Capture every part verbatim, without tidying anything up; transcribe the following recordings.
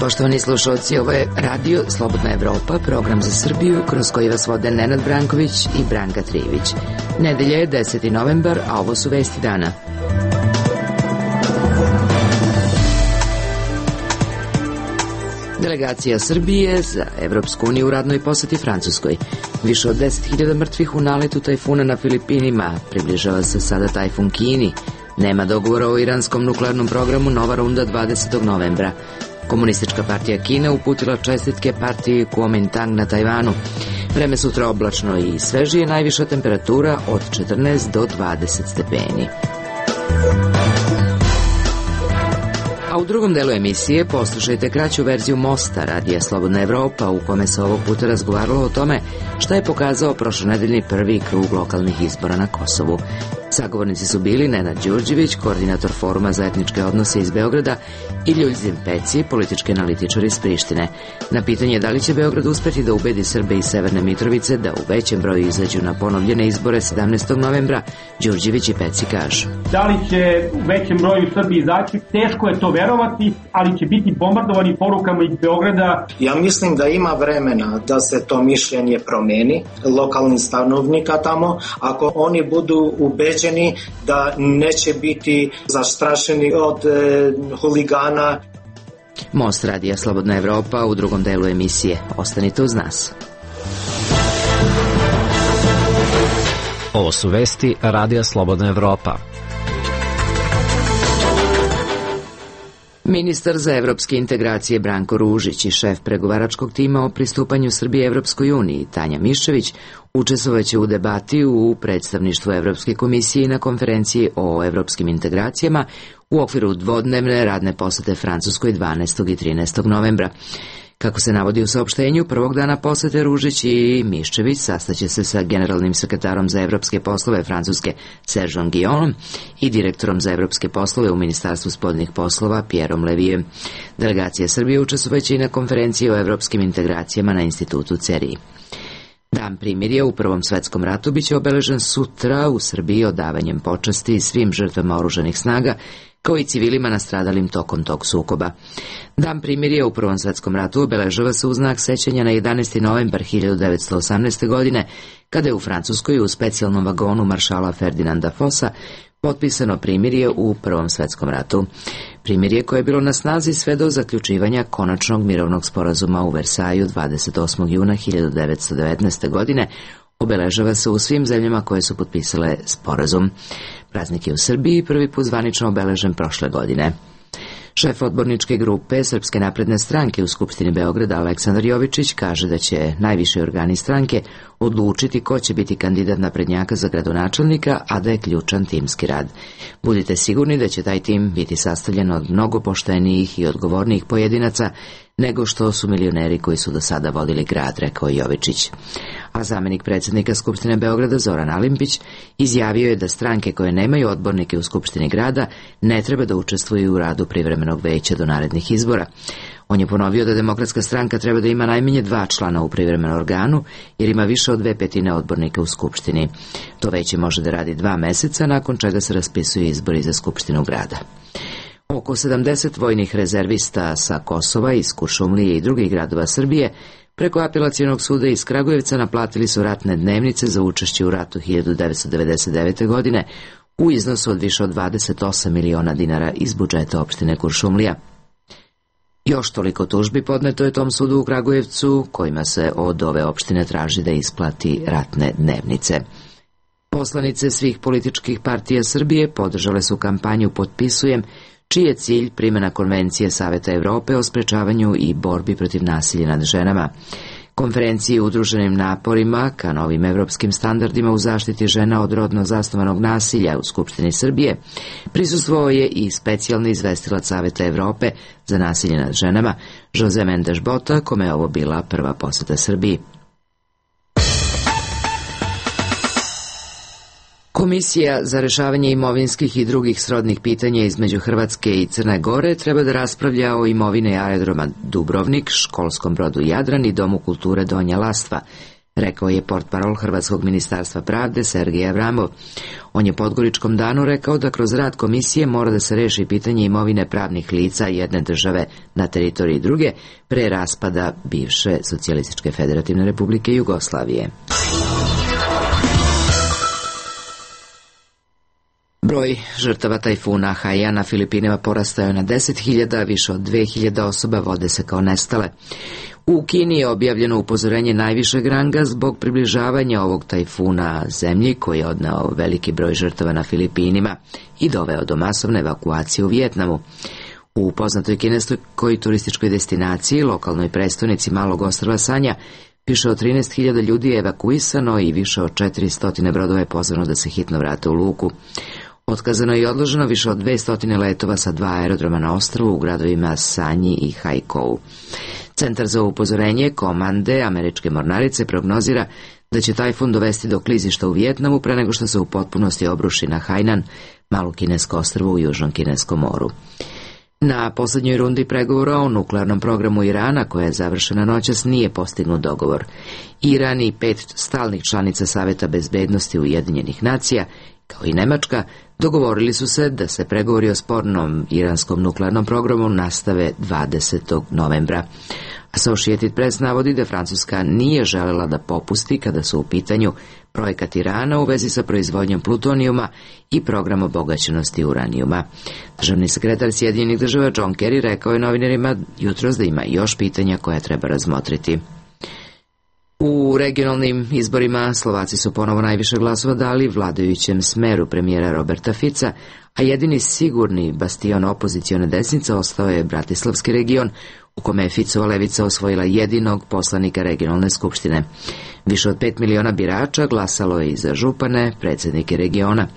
Poštovani slušalci, ovo je Radio Slobodna Evropa, program za Srbiju, kroz koji vas vode Nenad Branković i Branka Trijević. Nedelja je deseti novembar, a ovo su vesti dana. Delegacija Srbije za Evropsku uniju u radnoj poseti Francuskoj. Više od deset hiljada mrtvih u naletu tajfuna na Filipinima. Približava se sada tajfun Kini. Nema dogovora o iranskom nuklearnom programu, nova runda dvadesetog novembra. Komunistička partija Kine uputila čestitke partiji Kuomintang na Tajvanu. Vreme sutra oblačno i svežije, najviša temperatura od četrnaest do dvadeset stepeni. A u drugom delu emisije poslušajte kraću verziju Mosta Radija Slobodna Evropa, u kome se ovog puta razgovaralo o tome šta je pokazao prošlonedeljni prvi krug lokalnih izbora na Kosovu. Sagovornici su bili Nenad Đurđević, koordinator Foruma za etničke odnose iz Beograda, i Ljuljzim Peci, politički analitičar iz Prištine. Na pitanje da li će Beograd uspeti da ubedi Srbe iz Severne Mitrovice da u većem broju izađu na ponovljene izbore sedamnaestog novembra, Đurđević i Peci kažu: da li će u većem broju Srbi izaći, teško je to verovati, ali će biti bombardovani porukama iz Beograda. Ja mislim da ima vremena da se to mišljenje promeni lokalnih stanovnika tamo, ako oni budu ubeđeni da neće biti zastrašeni od e, huligana. Most Radija Slobodna Evropa u drugom delu emisije. Ostanite uz nas. Ovo su vesti Radija Slobodna Evropa. Ministar za evropske integracije Branko Ružić i šef pregovaračkog tima o pristupanju Srbije Evropskoj uniji Tanja Miščević učestvovaće u debati u predstavništvu Evropske komisije i na konferenciji o evropskim integracijama u okviru dvodnevne radne posete Francuskoj dvanaestog i trinaestog novembra. Kako se navodi u saopštenju, prvog dana posete Ružić i Miščević sastaće se sa generalnim sekretarom za evropske poslove Francuske Sergeom Guillaumeom i direktorom za evropske poslove u Ministarstvu spoljnih poslova Pierrom Levijem. Delegacija Srbije učestvovaće i na konferenciji o evropskim integracijama na institutu C E R I. Dan primirja u Prvom svetskom ratu biće obeležen sutra u Srbiji odavanjem počasti svim žrtvama oružanih snaga, kao i civilima nastradalim tokom tog sukoba. Dan primirja u Prvom svetskom ratu obeležava se u znak sećanja na jedanaesti novembar hiljadu devetsto osamnaeste. godine, kada je u Francuskoj u specijalnom vagonu maršala Ferdinanda Fossa potpisano primirje u Prvom svetskom ratu. Primirje koje je bilo na snazi sve do zaključivanja konačnog mirovnog sporazuma u Versaju dvadeset osmog juna hiljadu devetsto devetnaeste. godine obeležava se u svim zemljama koje su potpisale sporazum. Praznik je u Srbiji prvi put zvanično obeležen prošle godine. Šef odborničke grupe Srpske napredne stranke u Skupštini Beograda Aleksandar Jovičić kaže da će najviši organi stranke odlučiti ko će biti kandidat naprednjaka za gradonačelnika, a da je ključan timski rad. Budite sigurni da će taj tim biti sastavljen od mnogo poštenijih i odgovornijih pojedinaca nego što su milioneri koji su do sada vodili grad, rekao Jovičić. A zamenik predsjednika Skupštine Beograda Zoran Alimpić izjavio je da stranke koje nemaju odbornike u Skupštini grada ne treba da učestvuju u radu privremenog veća do narednih izbora. On je ponovio da Demokratska stranka treba da ima najmanje dva člana u privremenom organu, jer ima više od dve petine odbornika u Skupštini. To veće može da radi dva meseca, nakon čega se raspisuju izbori za Skupštinu grada. Oko sedamdeset vojnih rezervista sa Kosova, iz Kuršumlije i drugih gradova Srbije preko apelacionog suda iz Kragujevca naplatili su ratne dnevnice za učešće u ratu hiljadu devetsto devedeset devete. godine u iznosu od više od dvadeset osam miliona dinara iz budžeta opštine Kuršumlija. Još toliko tužbi podneto je tom sudu u Kragujevcu, kojima se od ove opštine traži da isplati ratne dnevnice. Poslanice svih političkih partija Srbije podržale su kampanju Potpisujem, čiji je cilj primjena Konvencije Saveta Evrope o sprečavanju i borbi protiv nasilja nad ženama. Konferenciji udruženim naporima ka novim evropskim standardima u zaštiti žena od rodno zasnovanog nasilja u Skupštini Srbije prisustvovao je i specijalni izvestilac Saveta Evrope za nasilje nad ženama Jose Mendes Bota, kome je ovo bila prva poseta Srbiji. Komisija za rešavanje imovinskih i drugih srodnih pitanja između Hrvatske i Crne Gore treba da raspravlja o imovine aerodroma Dubrovnik, školskom brodu Jadran i Domu kulture Donja Lastva, rekao je portparol Hrvatskog ministarstva pravde Sergej Avramov. On je Podgoričkom danu rekao da kroz rad komisije mora da se reši pitanje imovine pravnih lica jedne države na teritoriji druge pre raspada bivše Socijalističke federativne republike Jugoslavije. Broj žrtava tajfuna Haiyan na Filipinima porastao je na deset hiljada, više od dve hiljade osoba vode se kao nestale. U Kini je objavljeno upozorenje najvišeg ranga zbog približavanja ovog tajfuna zemlji koji je odneo veliki broj žrtava na Filipinima i doveo do masovne evakuacije u Vijetnamu. U poznatoj kineskoj turističkoj destinaciji, lokalnoj prestonici malog ostrva Sanja, više od trinaest hiljada ljudi je evakuisano i više od četiristo brodova je pozvano da se hitno vrate u luku. Otkazano je i odloženo više od dvesta letova sa dva aerodroma na ostrvu u gradovima Sanji i Haikou. Centar za upozorenje komande američke mornarice prognozira da će tajfun dovesti do klizišta u Vijetnamu pre nego što se u potpunosti obruši na Hainan, malo kinesko ostrvo u Južnom kineskom moru. Na poslednjoj rundi pregovora o nuklearnom programu Irana, koja je završena noćas, nije postignut dogovor. Iran i pet stalnih članica Saveta bezbednosti Ujedinjenih nacija, kao i Nemačka, dogovorili su se da se pregovori o spornom iranskom nuklearnom programu nastave dvadesetog novembra. Associated Press navodi da Francuska nije želela da popusti kada su u pitanju projekat Irana u vezi sa proizvodnjom plutonijuma i program obogaćenosti uranijuma. Državni sekretar Sjedinjenih država John Kerry rekao je novinarima jutros da ima još pitanja koja treba razmotriti. U regionalnim izborima Slovaci su ponovo najviše glasova dali vladajućem smeru premijera Roberta Fica, a jedini sigurni bastion opozicione desnice ostao je Bratislavski region, u kome je Ficova levica osvojila jedinog poslanika regionalne skupštine. Više od pet miliona birača glasalo je i za župane, predsjednike regiona.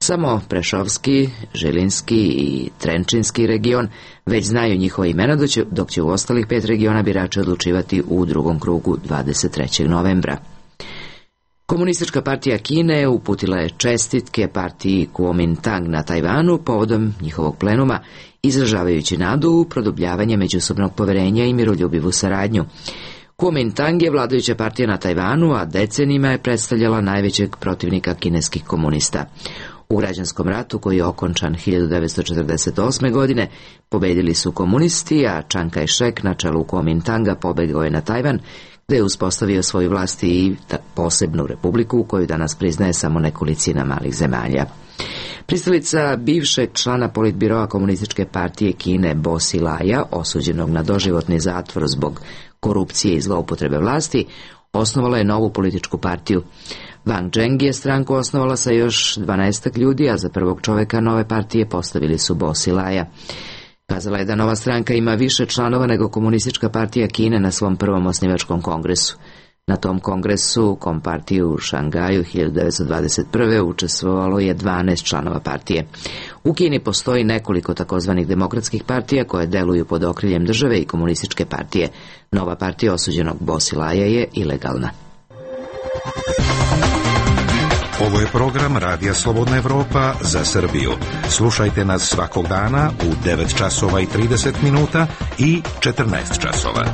Samo Prešovski, Žilinski i Trenčinski region već znaju njihova imena, dok će u ostalih pet regiona birači odlučivati u drugom krugu dvadeset trećeg novembra. Komunistička partija Kine uputila je čestitke partiji Kuomintang na Tajvanu povodom njihovog plenuma, izražavajući nadu u produbljavanje međusobnog poverenja i miroljubivu saradnju. Kuomintang je vladajuća partija na Tajvanu, a decenijima je predstavljala najvećeg protivnika kineskih komunista. U građanskom ratu, koji je okončan hiljadu devetsto četrdeset osme. godine, pobedili su komunisti, a Chiang Kai-shek na čelu Kuomintanga pobegao je na Tajvan, gde je uspostavio svoju vlast i posebnu republiku koju danas priznaje samo nekolicina malih zemalja. Pristalica bivšeg člana politbiroa Komunističke partije Kine Bo Xilaja, osuđenog na doživotni zatvor zbog korupcije i zloupotrebe vlasti, osnovala je novu političku partiju. Wang Zheng je stranku osnovala sa još dvanaestak ljudi, a za prvog čoveka nove partije postavili su Bo Xilaja. Kazala je da nova stranka ima više članova nego Komunistička partija Kine na svom prvom osnivačkom kongresu. Na tom kongresu, Kompartije u Šangaju hiljadu devetsto dvadeset prve. učestvovalo je dvanaest članova partije. U Kini postoji nekoliko takozvanih demokratskih partija koje deluju pod okriljem države i Komunističke partije. Nova partija osuđenog Bo Xilaja je ilegalna. Ovo je program Radija Slobodna Evropa za Srbiju. Slušajte nas svakog dana u devet časova i trideset minuta i četrnaest časova.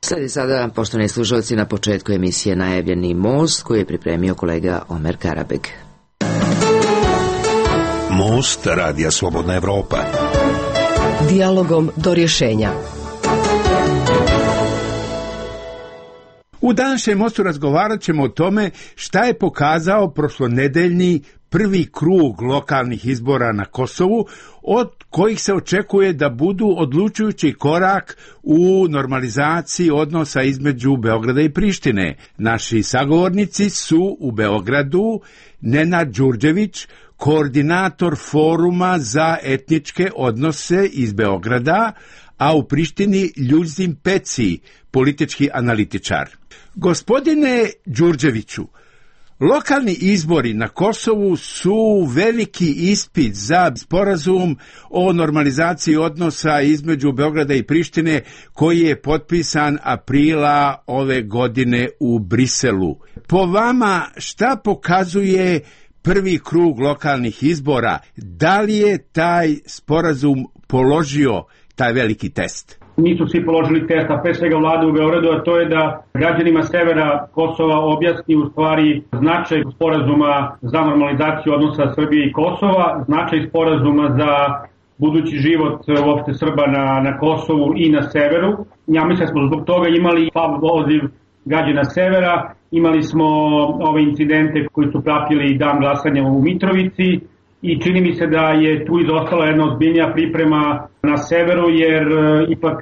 Sledi sada, poštovani slušalci, na početku emisije najavljeni Most, koji je pripremio kolega Omer Karabeg. Most Radija Slobodna Evropa. Dijalogom do rješenja. U današnjem Mostu razgovarat ćemo o tome šta je pokazao prošlonedeljni prvi krug lokalnih izbora na Kosovu, od kojih se očekuje da budu odlučujući korak u normalizaciji odnosa između Beograda i Prištine. Naši sagovornici su u Beogradu Nenad Đurđević, koordinator Foruma za etničke odnose iz Beograda, a u Prištini Ljuzim Peci, politički analitičar. Gospodine Đurđeviću, lokalni izbori na Kosovu su veliki ispit za sporazum o normalizaciji odnosa između Beograda i Prištine, koji je potpisan aprila ove godine u Briselu. Po vama, šta pokazuje prvi krug lokalnih izbora? Da li je taj sporazum položio taj veliki test? Nisu svi položili test, a pre svega vlada u Beogradu, a to je da građanima severa Kosova objasni u stvari značaj sporazuma za normalizaciju odnosa Srbije i Kosova, značaj sporazuma za budući život uopšte Srba na, na Kosovu i na severu. Ja mislim da smo zbog toga imali poziv građana severa, imali smo ove incidente koji su pratili dan glasanja u Mitrovici i čini mi se da je tu izostala jedna ozbiljnija priprema na severu, jer ipak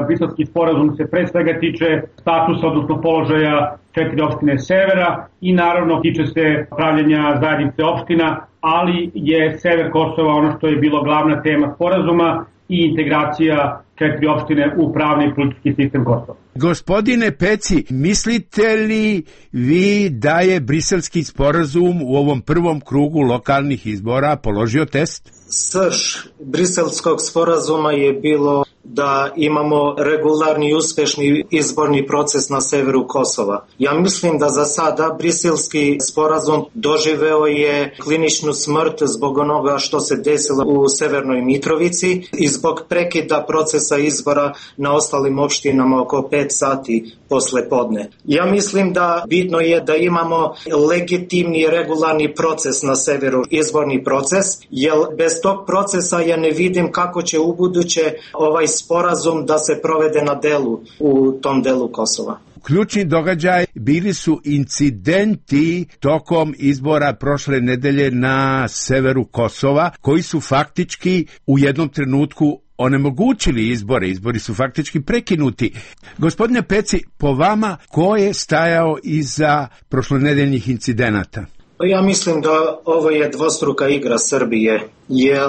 Briselski sporazum se pre svega tiče statusa, odnosno položaja četiri opštine severa i naravno tiče se pravljenja zajednice opština, ali je sever Kosova ono što je bilo glavna tema sporazuma i integracija četiri opštine u pravni i politički sistem Kosova. Gospodine Peci, mislite li vi da je Briselski sporazum u ovom prvom krugu lokalnih izbora položio test? Srž Briselskog sporazuma je bilo da imamo regularni i uspešni izborni proces na severu Kosova. Ja mislim da za sada Briselski sporazum doživeo je kliničnu smrt zbog onoga što se desilo u Severnoj Mitrovici i zbog prekida procesa izbora na ostalim opštinama oko pet sati posle podne. Ja mislim da bitno je da imamo legitimni i regularni proces na severu, izborni proces, jer bez tog procesa ja ne vidim kako će u buduće ovaj sporazum da se provede na delu u tom delu Kosova. Ključni događaj bili su incidenti tokom izbora prošle nedelje na severu Kosova, koji su faktički u jednom trenutku onemogućili izbore. Izbori su faktički prekinuti. Gospodine Peci, po vama, ko je stajao iza prošlonedeljnih incidenata? Ja mislim da ovo je dvostruka igra Srbije, jer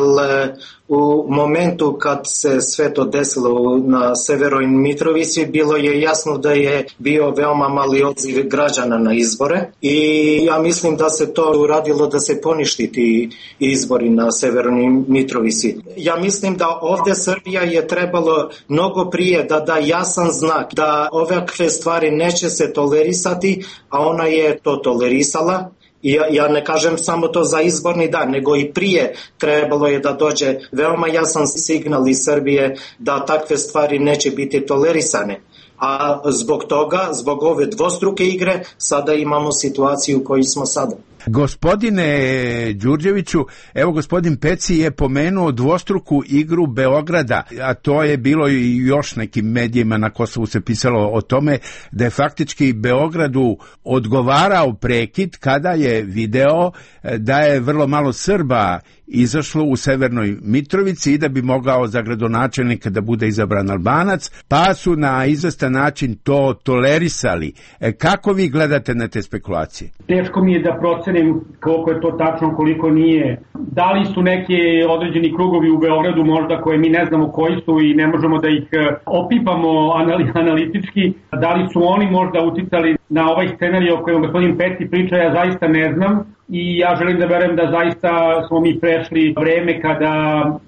u momentu kad se sve to desilo na Severoj Mitrovici bilo je jasno da je bio veoma mali odziv građana na izbore i ja mislim da se to uradilo da se poništi ti izbori na Severnoj Mitrovici. Ja mislim da ovde Srbija je trebalo mnogo prije da da jasan znak da ovakve stvari neće se tolerisati, a ona je to tolerisala. Ja, ja ne kažem samo to za izborni dan, nego i prije trebalo je da dođe veoma jasan signal iz Srbije da takve stvari neće biti tolerisane. A zbog toga, zbog ove dvostruke igre, sada imamo situaciju u kojoj smo sada. Gospodine Đurđeviću, evo gospodin Peci je pomenuo dvostruku igru Beograda, a to je bilo i još nekim medijima na Kosovu se pisalo o tome da je faktički Beogradu odgovarao prekid kada je video da je vrlo malo Srba izašlo u Severnoj Mitrovici i da bi mogao za gradonačelnika da bude izabran Albanac, pa su na izvestan način to tolerisali. E, kako vi gledate na te spekulacije? Teško mi je da procenim koliko je to tačno, koliko nije. Da li su neki određeni krugovi u Beogradu možda koje mi ne znamo koji su i ne možemo da ih opipamo analitički, da li su oni možda uticali na ovaj scenarij o kojem gospodin Peci priča, ja zaista ne znam. I ja želim da verujem da zaista smo mi prešli vreme kada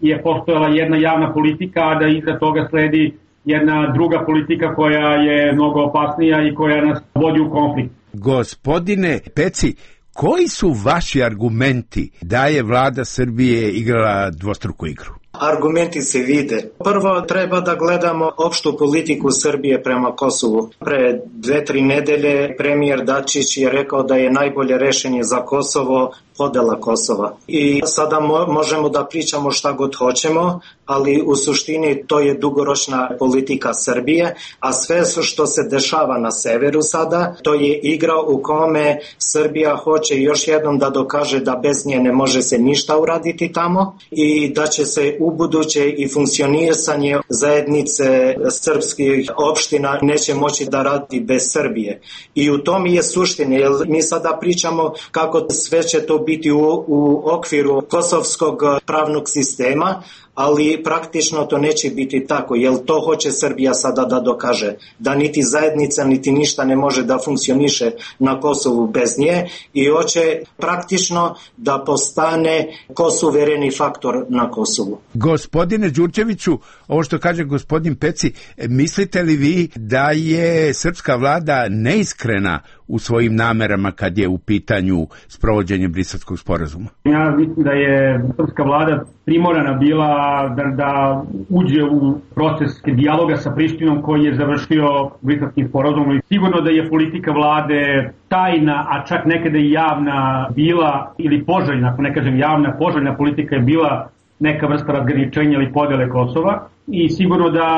je postojala jedna javna politika, a da iza toga sledi jedna druga politika koja je mnogo opasnija i koja nas vodi u konflikt. Gospodine Peci, koji su vaši argumenti da je vlada Srbije igrala dvostruku igru? Argumenti se vide. Prvo treba da gledamo opštu politiku Srbije prema Kosovu. Pre dve, tri nedelje premijer Dačić je rekao da je najbolje rešenje za Kosovo podela Kosova. I sada mo- možemo da pričamo šta god hoćemo, ali u suštini to je dugoročna politika Srbije, a sve što se dešava na severu sada, to je igra u kome Srbija hoće još jednom da dokaže da bez nje ne može se ništa uraditi tamo i da će se u buduće i funkcionisanje zajednice srpskih opština neće moći da radi bez Srbije. I u tom je suština, jer mi sada pričamo kako sve će to biti u, u okviru kosovskog pravnog sistema, ali praktično to neće biti tako, jer to hoće Srbija sada da dokaže, da niti zajednica, niti ništa ne može da funkcioniše na Kosovu bez nje i hoće praktično da postane kosuvereni faktor na Kosovu. Gospodine Đurđeviću, ovo što kaže gospodin Peci, mislite li vi da je srpska vlada neiskrena u svojim namerama kad je u pitanju sprovođenje Briselskog sporazuma? Ja mislim da je srpska vlada primorana bila da, da uđe u proces dijaloga sa Prištinom koji je završio Briselskim sporazumom. Sigurno da je politika vlade tajna, a čak nekada i javna bila, ili poželjna, ako ne kažem javna, poželjna politika je bila neka vrsta razgraničenja ili podele Kosova. I sigurno da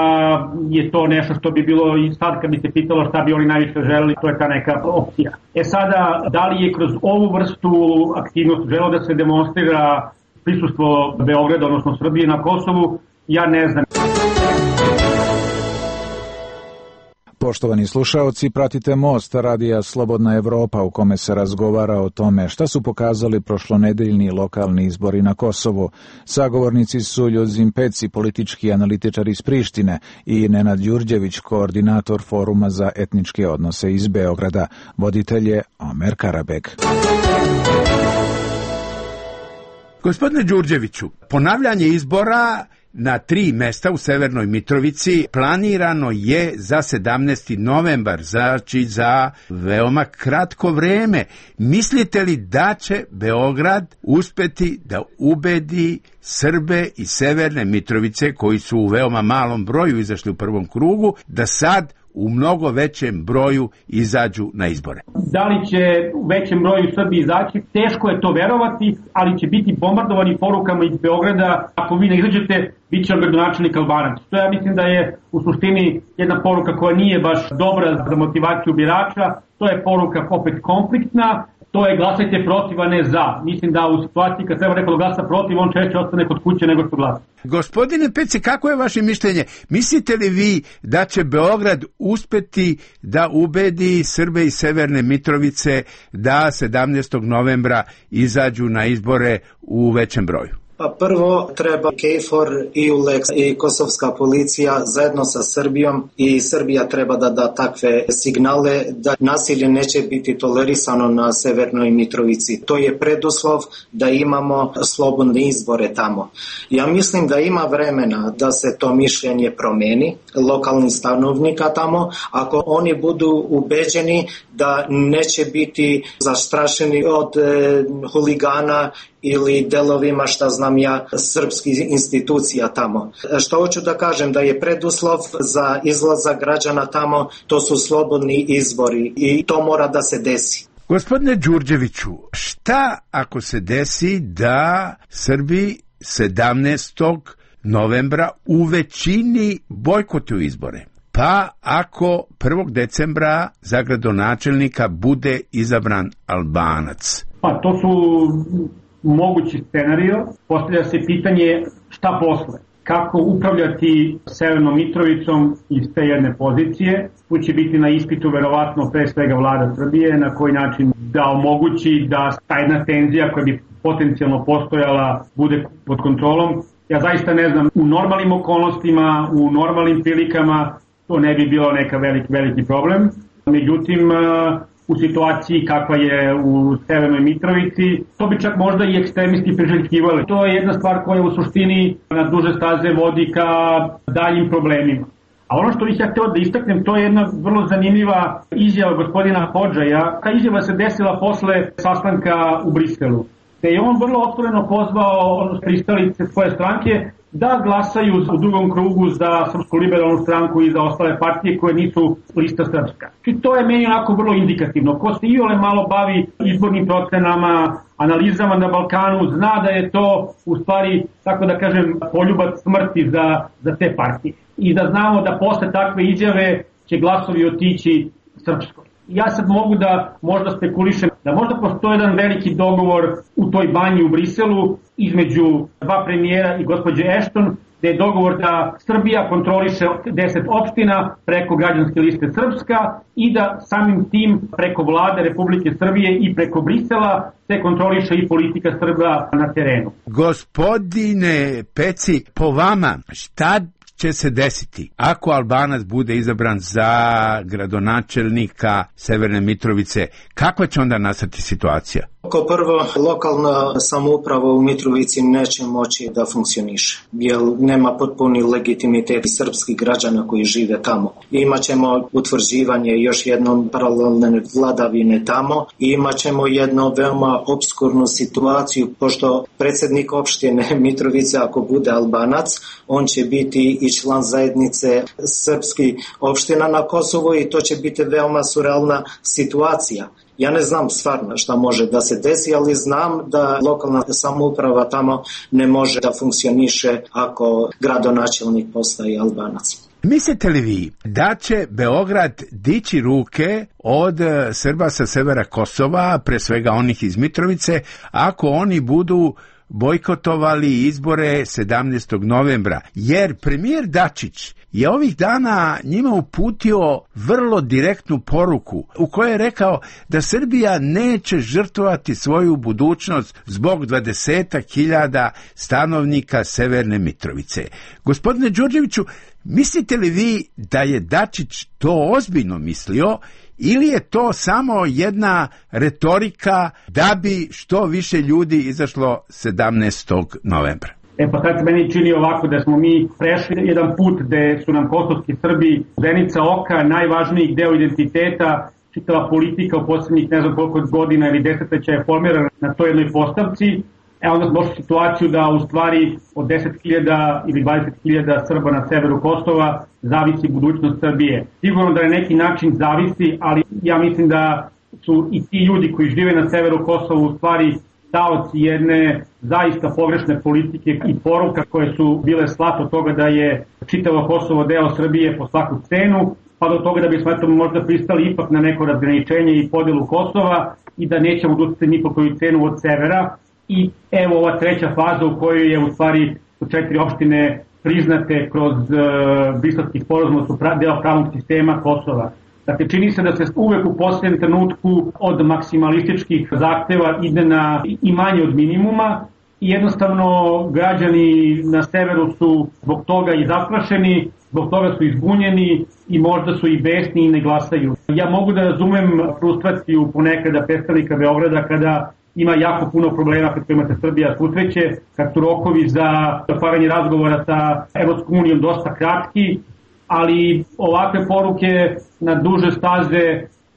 je to nešto što bi bilo i sad kad bi se pitalo šta bi oni najviše želeli, to je ta neka opcija. E sada, da li je kroz ovu vrstu aktivnosti želo da se demonstrira prisustvo Beograda, odnosno Srbije na Kosovu, ja ne znam. Poštovani slušaoci, pratite Most radija Slobodna Evropa u kome se razgovara o tome šta su pokazali prošlonedeljni lokalni izbori na Kosovu. Sagovornici su Ljuzin Peci, politički analitičar iz Prištine, i Nenad Đurđević, koordinator Foruma za etničke odnose iz Beograda. Voditelj je Omer Karabek. Gospodine Đurđeviću, ponavljanje izbora na tri mesta u Severnoj Mitrovici planirano je za sedamnaesti novembar, znači za veoma kratko vreme. Mislite li da će Beograd uspeti da ubedi Srbe iz Severne Mitrovice, koji su u veoma malom broju izašli u prvom krugu, da sad u mnogo većem broju izađu na izbore? Da li će u većem broju Srbi izaći? Teško je to verovati, ali će biti bombardovani porukama iz Beograda. Ako vi ne izađete, bit će gradonačelnik Albanac. To ja mislim da je u suštini jedna poruka koja nije baš dobra za motivaciju birača. To je poruka opet konfliktna. To je glasajte protiv, a ne za. Mislim da u situaciji kad treba neko da glasa protiv, on češće ostane kod kuće nego što glasa. Gospodine Peci, kako je vaše mišljenje? Mislite li vi da će Beograd uspeti da ubedi Srbe iz Severne Mitrovice da sedamnaestog novembra izađu na izbore u većem broju? Pa prvo treba KFOR, E U Lex i kosovska policija zajedno sa Srbijom, i Srbija treba da da takve signale da nasilje neće biti tolerisano na Severnoj Mitrovici. To je preduslov da imamo slobodne izbore tamo. Ja mislim da ima vremena da se to mišljenje promeni lokalnih stanovnika tamo, ako oni budu ubeđeni da neće biti zastrašeni od e, huligana ili delovima, šta znam ja, srpskih institucija tamo. Što hoću da kažem, da je preduslov za izlazak građana tamo, to su slobodni izbori i to mora da se desi. Gospodine Đurđeviću, šta ako se desi da Srbi sedamnaestog novembra u većini bojkotuju izbore? Pa ako prvog decembra za gradonačelnika bude izabran Albanac? Pa to su mogući scenario. Postavlja se pitanje šta posle. Kako upravljati Severnom Mitrovicom iz te jedne pozicije. Tu će biti na ispitu verovatno pre svega vlada Srbije, na koji način da omogući da ta jedna tenzija koja bi potencijalno postojala bude pod kontrolom. Ja zaista ne znam, u normalnim okolnostima, u normalnim prilikama to ne bi bilo neka veliki, veliki problem. Međutim, u situaciji kakva je u Severnoj Mitrovici, to bi čak možda i ekstremisti priželjkivali. To je jedna stvar koja u suštini na duže staze vodi ka daljim problemima. A ono što bih ja hteo da istaknem, to je jedna vrlo zanimljiva izjava gospodina Hodžaja. Ta izjava se desila posle sastanka u Briselu, te je on vrlo otvoreno pozvao pristalice svoje stranke da glasaju u drugom krugu za Srpsku liberalnu stranku i za ostale partije koje nisu lista srpska. I to je meni onako vrlo indikativno. Ko se iole malo bavi izbornim procenama, analizama na Balkanu, zna da je to u stvari, tako da kažem, poljubac smrti za, za te partije. I da znamo da posle takve izjave će glasovi otići Srpskoj. Ja sad mogu da možda spekulišem da možda postoji jedan veliki dogovor u toj banji u Briselu između dva premijera i gospođe Ashton, gde je dogovor da Srbija kontroliše deset opština preko građanske liste Srpska i da samim tim preko vlade Republike Srbije i preko Brisela se kontroliše i politika Srba na terenu. Gospodine Peci, po vama šta će se desiti ako Albanac bude izabran za gradonačelnika Severne Mitrovice? Kakva će onda nastati situacija? Kao prvo, lokalna samouprava u Mitrovici neće moći da funkcioniše, jer nema potpuni legitimitet srpskih građana koji žive tamo. Imaćemo utvrđivanje još jednom paralelne vladavine tamo i imaćemo jednu veoma obskurnu situaciju, pošto predsjednik opštine Mitrovice, ako bude Albanac, on će biti i član zajednice srpskih opština na Kosovu i to će biti veoma surrealna situacija. Ja ne znam stvarno šta može da se desi, ali znam da lokalna samouprava tamo ne može da funkcioniše ako gradonačelnik postaje Albanac. Mislite li vi da će Beograd dići ruke od Srba sa severa Kosova, pre svega onih iz Mitrovice, ako oni budu bojkotovali izbore sedamnaestog novembra? Jer premijer Dačić je ovih dana njima uputio vrlo direktnu poruku u kojoj je rekao da Srbija neće žrtvovati svoju budućnost zbog dvadesetak hiljada stanovnika Severne Mitrovice. Gospodine Đurđeviću, mislite li vi da je Dačić to ozbiljno mislio ili je to samo jedna retorika da bi što više ljudi izašlo sedamnaestog novembra? E pa sad se meni čini ovako da smo mi prešli jedan put gde su nam kosovski Srbi zenica oka, najvažniji deo identiteta, čitava politika u posljednjih ne znam koliko godina ili desetljeća je formirana na toj jednoj postavci. E onda smo došli u situaciju da u stvari od deset hiljada ili dvadeset hiljada Srba na severu Kosova zavisi budućnost Srbije. Sigurno da na neki način zavisi, ali ja mislim da su i ti ljudi koji žive na severu Kosova u stvari taoci jedne zaista pogrešne politike i poruka koje su bile slat od toga da je čitavo Kosovo deo Srbije po svaku cenu, pa do toga da bismo eto možda pristali ipak na neko razgraničenje i podelu Kosova i da nećemo odustati ni po koju cenu od severa. I evo ova treća faza u kojoj je u stvari četiri opštine priznate kroz uh, Briselski sporazum su deo pravnog sistema Kosova. Dakle, čini se da se uvek u posljednjem trenutku od maksimalističkih zahteva ide na i manje od minimuma i jednostavno građani na severu su zbog toga i zastrašeni, zbog toga su izbunjeni i možda su i besni i ne glasaju. Ja mogu da razumem frustraciju ponekada predstavnika Beograda kada ima jako puno problema kad imate Srbija susreće, kad su rokovi za otvaranje razgovora sa Evropskom unijom dosta kratki, ali ovakve poruke na duže staze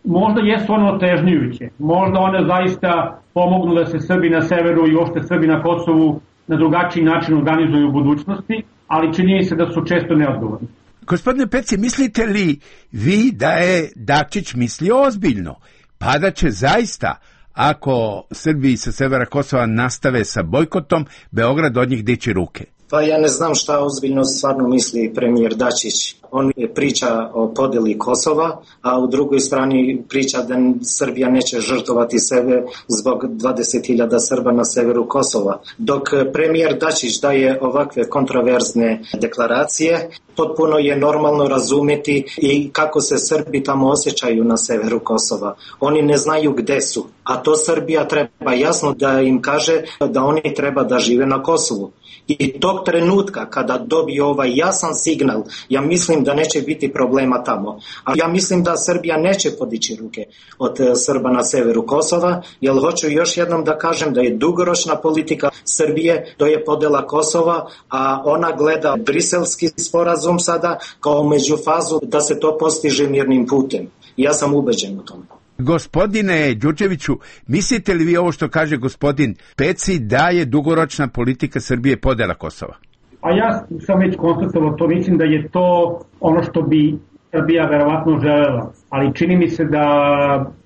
možda jesu ono otežnjujuće. Možda one zaista pomognu da se Srbi na severu i uopšte Srbi na Kosovu na drugačiji način organizuju u budućnosti, ali čini se da su često neodgovorni. Gospodine Peci, mislite li vi da je Dačić mislio ozbiljno? Pa da će zaista, ako Srbi sa severa Kosova nastave sa bojkotom, Beograd od njih dići ruke? Pa ja ne znam šta ozbiljno stvarno misli premijer Dačić. On priča o podeli Kosova, a u drugoj strani priča da Srbija neće žrtvovati sebe zbog dvadeset hiljada Srba na severu Kosova. Dok premijer Dačić daje ovakve kontroverzne deklaracije, potpuno je normalno razumjeti i kako se Srbi tamo osjećaju na severu Kosova. Oni ne znaju gde su, a to Srbija treba jasno da im kaže da oni treba da žive na Kosovu. I tog trenutka kada dobije ovaj jasan signal, ja mislim da neće biti problema tamo. A ja mislim da Srbija neće podići ruke od Srba na severu Kosova, jer hoću još jednom da kažem da je dugoročna politika Srbije, to je podela Kosova, a ona gleda briselski sporazum sada kao međufazu da se to postiže mirnim putem. Ja sam ubeđen u tome. Gospodine Đurđeviću, mislite li vi ovo što kaže gospodin Peci da je dugoročna politika Srbije podela Kosova? A ja sam već konstatovao to, mislim da je to ono što bi Srbija verovatno želela, ali čini mi se da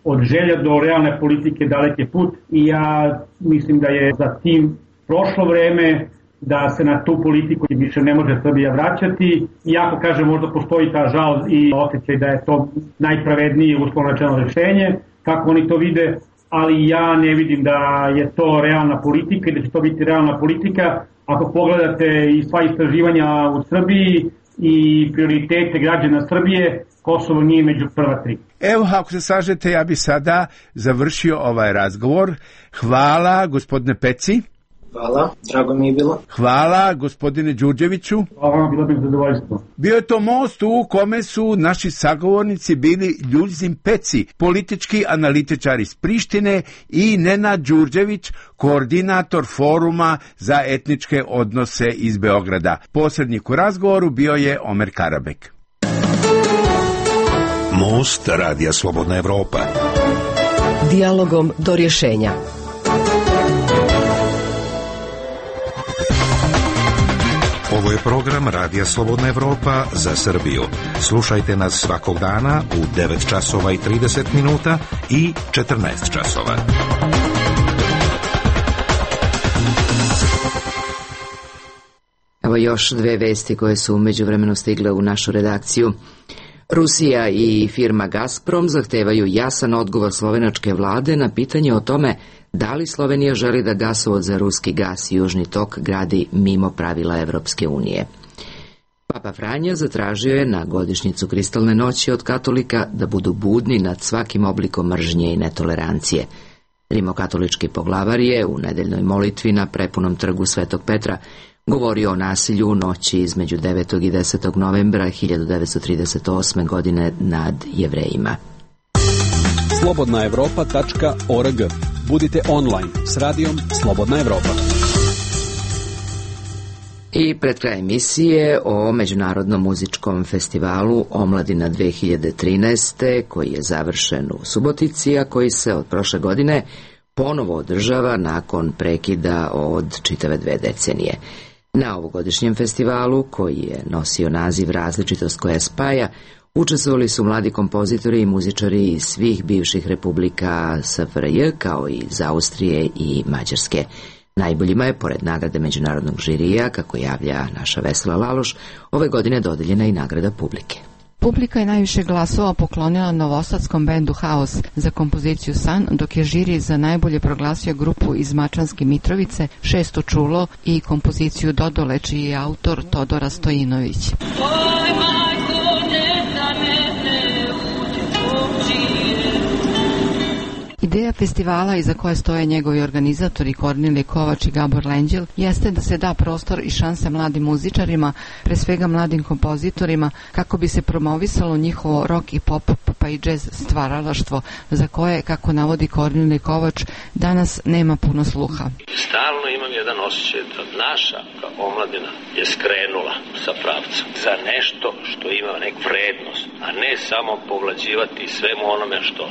od želja do realne politike dalek je put i ja mislim da je za tim prošlo vreme, da se na tu politiku više ne može Srbija vraćati. Iako, kažem, možda postoji ta žal i osjećaj da je to najpravednije uslovno rečeno rešenje, kako oni to vide, ali ja ne vidim da je to realna politika i da će to biti realna politika. Ako pogledate i sva istraživanja u Srbiji i prioritete građana Srbije, Kosovo nije među prva tri. Evo, ako se slažete, ja bi sada završio ovaj razgovor. Hvala, gospodine Peci. Hvala, drago mi je bilo. Hvala, gospodine Đurđeviću. Hvala, bilo bi zadovoljstvo. Bio je to most u kome su naši sagovornici bili Ljuzin Peci, politički analitičar iz Prištine, i Nenad Đurđević, koordinator foruma za etničke odnose iz Beograda. Posrednik u razgovoru bio je Omer Karabek. Most Radija Slobodna Evropa. Dijalogom do rješenja. Ovo je program Radija Slobodna Evropa za Srbiju. Slušajte nas svakog dana u devet časova i trideset minuta i četrnaest časova. Evo još dve vesti koje su umeđu vremenu stigle u našu redakciju. Rusija i firma Gazprom zahtevaju jasan odgovor slovenačke vlade na pitanje o tome da li Slovenija želi da gasovod za ruski gas i Južni tok gradi mimo pravila Evropske unije. Papa Franja zatražio je na godišnjicu Kristalne noći od katolika da budu budni nad svakim oblikom mržnje i netolerancije. Rimokatolički poglavar je u nedeljnoj molitvi na prepunom trgu Svetog Petra govorio o nasilju u noći između devetog i desetog novembra hiljadu devetsto trideset osme. godine nad Jevrejima. slobodna evropa tačka org. Budite online s radijom Slobodna Evropa. I pred kraj emisije o Međunarodnom muzičkom festivalu Omladina dve hiljade trinaeste. koji je završen u Subotici, a koji se od prošle godine ponovo održava nakon prekida od čitave dve decenije. Na ovogodišnjem festivalu, koji je nosio naziv Različitost koja spaja, učestvovali su mladi kompozitori i muzičari iz svih bivših republika S F R J, kao i iz Austrije i Mađarske. Najboljima je, pored nagrade međunarodnog žirija, kako javlja naša Vesela Laloš, ove godine dodeljena i nagrada publike. Publika je najviše glasova poklonila novosadskom bendu Haos za kompoziciju San, dok je žiri za najbolje proglasio grupu iz Mačvanske Mitrovice Šesto čulo i kompoziciju Dodole, čiji je autor Todora Stojinović. Ideja festivala, iza koje stoje njegovi organizatori Kornelije Kovač i Gabor Lenđel, jeste da se da prostor i šanse mladim muzičarima, pre svega mladim kompozitorima, kako bi se promovisalo njihovo rock i pop pa i džez stvaralaštvo, za koje, kako navodi Kornelije Kovač, danas nema puno sluha. Stalno imam jedan osjećaj da naša omladina je skrenula sa pravca za nešto što ima nek vrednost, a ne samo povlađivati svemu onome što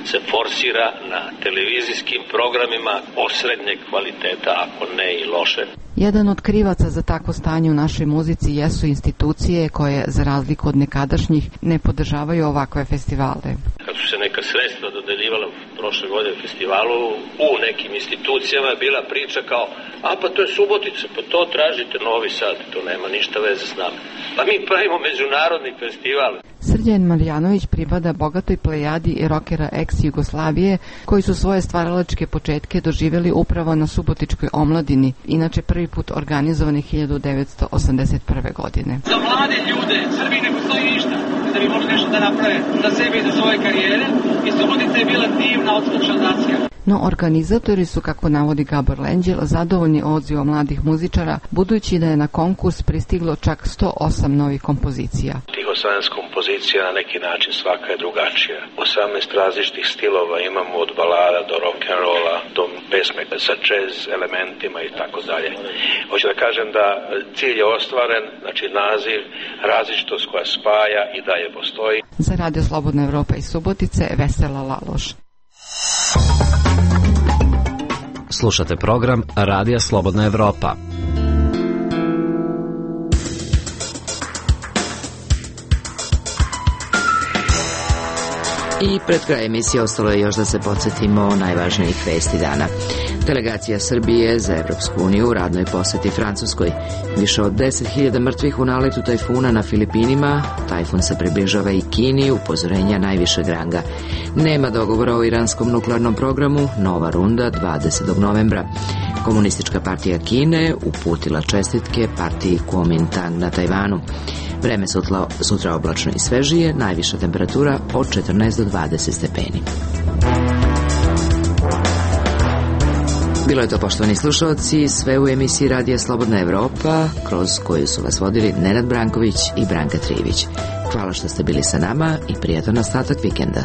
se forsira na televizijskim programima osrednjeg kvaliteta, ako ne i loše. Jedan od krivaca za takvo stanje u našoj muzici jesu institucije koje, za razliku od nekadašnjih, ne podržavaju ovakve festivale. Kad su se neka sredstva dodeljivala prošle godine festivalu, u nekim institucijama je bila priča kao, a pa to je Subotica, pa to tražite Novi Sad, to nema ništa veze s nama. Pa mi pravimo međunarodni festival. Srđan Marjanović pripada bogatoj plejadi rokera ex-Jugoslavije, koji su svoje stvaralačke početke doživjeli upravo na Subotičkoj omladini, inače prvi put organizovani hiljadu devetsto osamdeset prve. godine. Za mlade ljude Srbiji ne postoji ništa da bi mogli nešto da naprave za sebe i za svoje karijere, i Subotica je bila divna odskočna nacija. No organizatori su, kako navodi Gabor Lenđel, zadovoljni odzivom mladih muzičara, budući da je na konkurs pristiglo čak sto osam novih kompozicija. Tih osamnaest kompozicija na neki način svaka je drugačija. osamnaest različitih stilova imamo, od balada do rock'n'rolla, do pesme sa jazz elementima i tako dalje. Hoću da kažem da cilj je ostvaren, znači naziv, različitost koja spaja i dalje postoji. Za Radio Slobodna Evropa iz Subotice, Vesela Laloš. Slušate program Radija Slobodna Evropa. I pred kraj emisije ostalo je još da se podsjetimo najvažnijih vesti dana. Delegacija Srbije za Evropsku uniju u radnoj poseti Francuskoj. Više od deset hiljada mrtvih u naletu tajfuna na Filipinima. Tajfun se približava i Kini, upozorenja najvišeg ranga. Nema dogovora o iranskom nuklearnom programu, nova runda dvadesetog novembra. Komunistička partija Kine uputila čestitke partiji Kuomintang na Tajvanu. Vreme sutra, sutra oblačno i svežije, najviša temperatura od četrnaest do dvadeset stepeni. Bilo je to, poštovani slušalci, sve u emisiji Radija Slobodna Evropa, kroz koju su vas vodili Nenad Branković i Branka Trijević. Hvala što ste bili sa nama i prijatan ostatak vikenda.